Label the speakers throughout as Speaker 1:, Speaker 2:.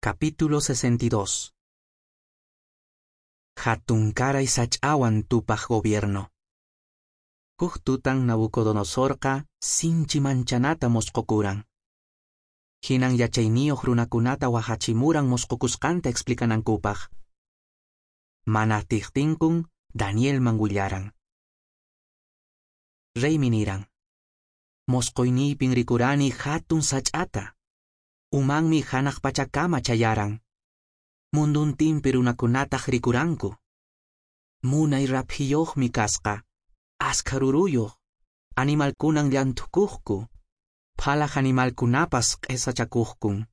Speaker 1: Capítulo 62. Hatunkaray sach'awan tupaq gobierno. Huk tutan Nabucodonosorqa sinchi manchanata mosqokuran. Hinan yachayniyuq runakunata wahachimuran mosqokusqanta explicanankupaq. Mana atiqtinkun Danielman willaran. Reymi niran: Mosqoyniypin rikurani hatun sach'ata. Umanmi hanaq pachakama chayaran. Munduntinpi runakunataq rikuranku. Munay raphiyuqmi kasqa, askha ruruyuq, animalkunan llanthukuqku, phalaq animalkunapas q'esachakuqkun.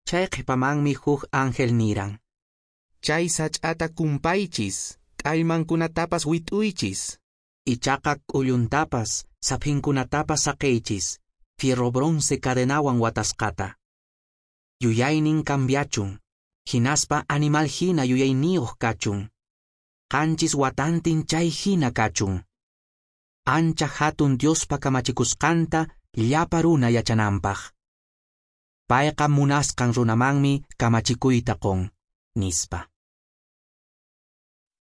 Speaker 1: Chay qhipamanmi huk ángel niran: Chay sach'ata kumpaychis, k'allmankunatapas wit'uychis, ichaqa k'ulluntapas, saphinkunatapas saqiychis, fierro bronce cadenawan watasqata. Yuyaynin cambiachun, hinaspa animal hina yuyayniyuq kachun. 7 watantin chay hina kachun. Ancha hatun Diospa kamachikusqanta llapa runa yachananpaq. Payqa munasqan runamanmi kamachikuyta qun, nispa.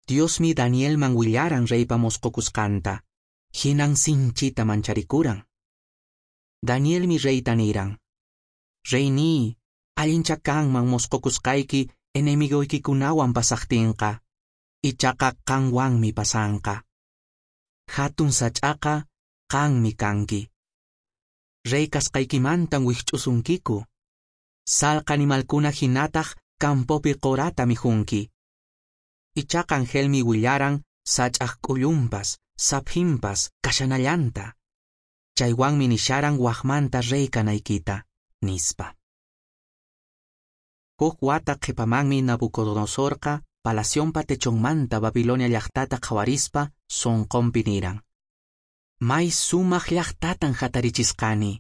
Speaker 1: Diosmi Danielman willaran reypa mosqokusqanta, hinan sinchita mancharikuran. Danielmi reyta niran: Reyniy, allincha kanman mosqokusqayki enemigoykikunawan pasaqtinqa, ichaqa qanwanmi pasanqa. Hatun sach'aqa qanmi kanki. Rey kasqaykimantan wikch'usunkiku. Salqa animalkuna hinataq campopi qurata mikhunki. Ichaqa angelmi willaran sach'aq k'ullunpas, saphinpas kashanallanta. Chaywanmi nisharan waqmanta rey kanaykita, nispa. Huk wata qhipamanmi Nabucodonosorqa palacionpa techonmanta Babilonia llaqtata qhawarispa sonqonpi niran: May sumaq llaqtatan hatarichisqani,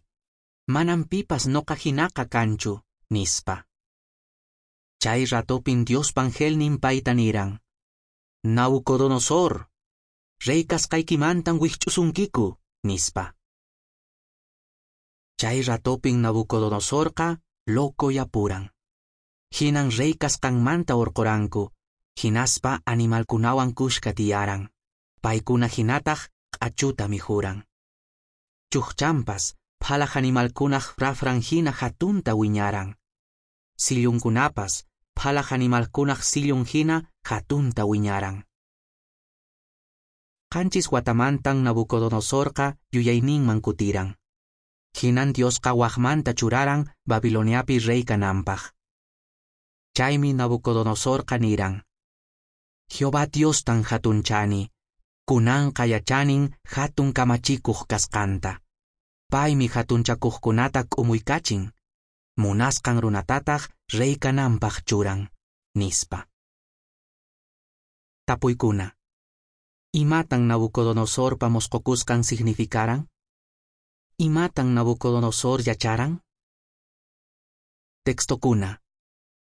Speaker 1: manan pipas noqa hinaqa kanchu, nispa. Chay ratopin Diospa angelnin payta niran: Nabucodonosor, rey kasqaykimantan wikch'usunkiku, nispa. Chay ratopin Nabucodonosorqa loco yapuran. Hinan rey kasqanmanta urquranku, hinaspa animalkunawan kushka tiyaran. Paykuna hinataq q'achuta mikhuran. Chukchanpas phalaq animalkunaq rafran hina hatunta wiñaran. Sillunkunapas phalaq animalkunaq sillun hina hatunta wiñaran. 7 watamantan Nabucodonosorqa yuyayninman kutiran. Hinan Diosqa waqmanta churaran Babiloniapi rey kananpaq. Chaymi Nabucodonosorqa niran: Jehová Diostan hatunchani, kunanqa yachanin hatun kamachikuq kasqanta. Paymi hatunchakuqkunata k'umuykachin, munasqan runatataq rey kananpaq churan, nispa. Tapuykuna: Imatan Nabucodonosorpa mosqokusqan significaran? Imatan Nabucodonosor yacharan? Textokuna: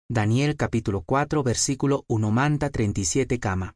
Speaker 1: Daniel capítulo 4 versículo 1 manta 37 kama.